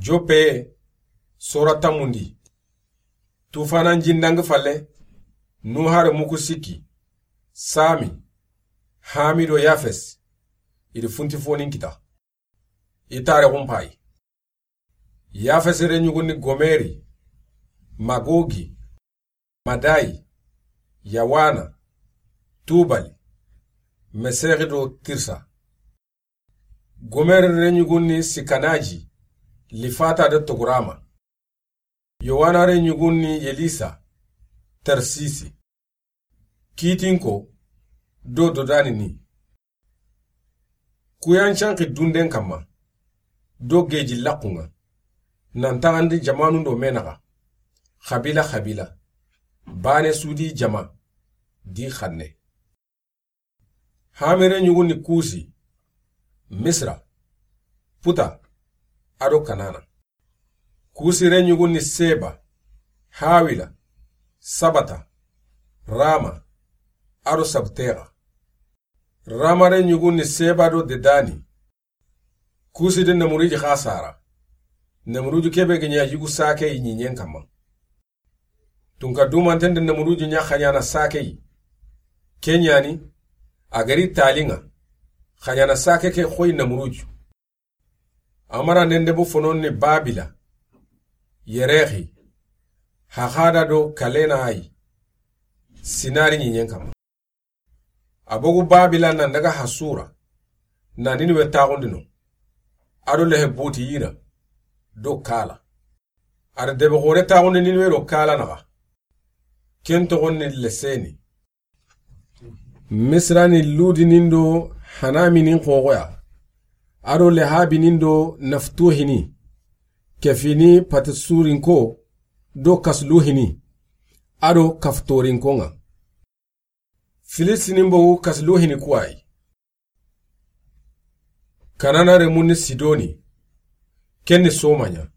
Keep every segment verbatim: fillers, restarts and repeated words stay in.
Joppe, sora tanmundi. Tufana n jindangi falle, Nuha renmu ku sikki, Sami, Hami do Yafes, i di funti fonin kita. I tarixun payi. Yafes renɲugun ni Gomeri, Magogi, Madai, Yawana, Tubali, Mesexi do Tirsa. Gomeri renɲugun ni Sikanaji, Lifata do Togurama. Yowana renɲugun ni Yelisa, Tarsisi. Kitinko do Dodani ni. Ku yan canki dunden kanma do geji laxun ŋa, nan taxandi jamanun do me naxa, xabila xabila, bane su di jama di xanne. Hami renɲugun ni Kusi, Misra, Puta, a do Kanana. Kusi renɲugun ni Seba, Hawila, Sabata, Rama, a do Sabtexa. Rama renɲugun ni Seba do Dedani. Kusi de Namuruji xa sara. Namuruju kebe ga ɲa yugu sake yi ɲiɲen kanma. Tunka dumanten de Namuruju ɲa xaɲana sake yi. Ke ɲani, a gari talinga, xaɲana sake ke xoyi Namuruju. Amara nende bu fonon ni Babila, Yerexi, Haxada do Kalena ayi, Sinari ɲiɲen kanma. A bogu Babila nan daga Hasura, na Niniwe taxundi no, a do lehe buti yina do Kala. A da debe xore taxundi Niniwe do Kala naxa. Ken toxon ni Leseni. Misra ni Ludi nin do Hanami nin xoxoya, a do Lehabi nin do Naftuhini, kefini Patisurinko do Kasluhini, a do Kaftorinko ŋa. Filistinin bogu Kasluhini kuwayi. Kanana renmun ni Sidoni, ken ni Somaɲa,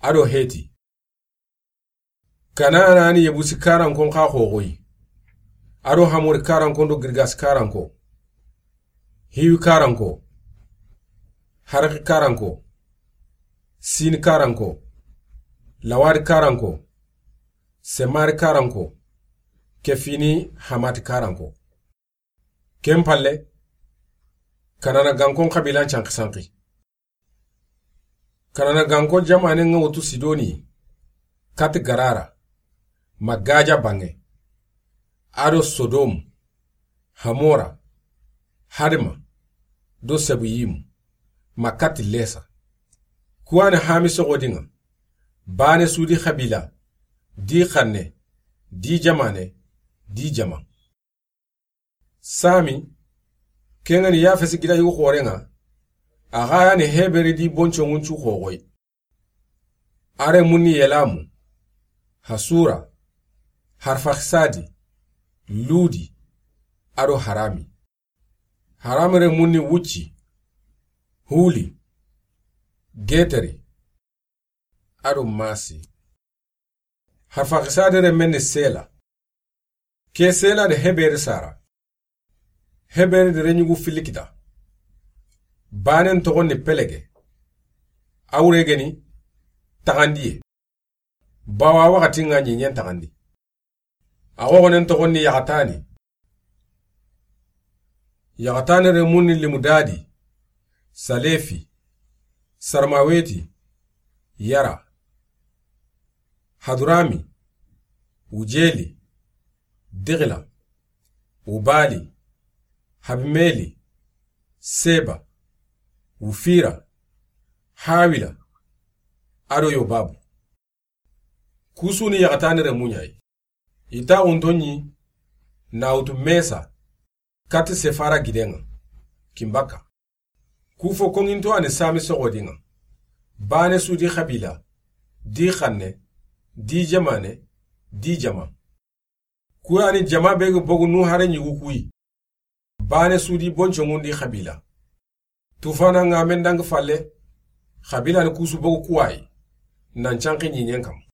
a do Heti. Kanana ni Yebusi karankon xa xoxoyi, a do Hamori karankon do Girgasi karanko, Hiwi karanko, Haraki karanko, Sini karanko, Lawadi karanko, Semari karanko, kefini Hamati karanko. Ken palle, Kanana gankon xabilan canki sanki. Kanana ganko jamanen ŋa wutu Sidoni, kati Garara, ma Gaja banŋe, a do Sodomu, Hamora, Hadima, do Sebuyimu, ma kati Lesa. Kuwani Hami soxodin ŋa, bane su di xabila, di xanne, di jamane, di jama. Sami, ken ŋa ni Yafesi gida yugu xoren ŋa, a xa ya ni Heberi di bonconŋun cu xoxoyi. A renmun ni Yelamu, Hasura, Harfaxisadi, Ludi, a do Harami. Harami renmun ni Wucci, Huli, Geteri, a do Masi. Harfaxisadi renmen ni Sela. Ke Sela de Heberi sara. Heberi de renɲugu filli kita. Banen toxon ni Pelege. A wure ga ni taxandiye. Bawa waxatin ŋa ɲiɲen taxandi. A xoxonen toxon ni Yaxatani. Yaxatani renmun ni Limudadi, Salefi, Sarmaweti, Yara, Hadurami, Wujeli, Digila, Ubali, Habimeli, Seba, Wufira, Hawila, a do Yobabu. Ku su ni Yaxatani renmu ɲa yi. I taxunto ɲi na wutu Mesa, kati Sefara giden ŋa, kinbaka. Ku fo konŋinto a ni Sami soxodin ŋa. Bane su di xabila, di xanne, di jamane, di jama. Ku ya ni jama be ga bogu Nuha renɲugu kuyi. Bane su di bonconŋun di xabila. Tufana ŋa men dangi falle, xabila ni ku su bogu kuwayi, nan canki ɲiɲen kanma.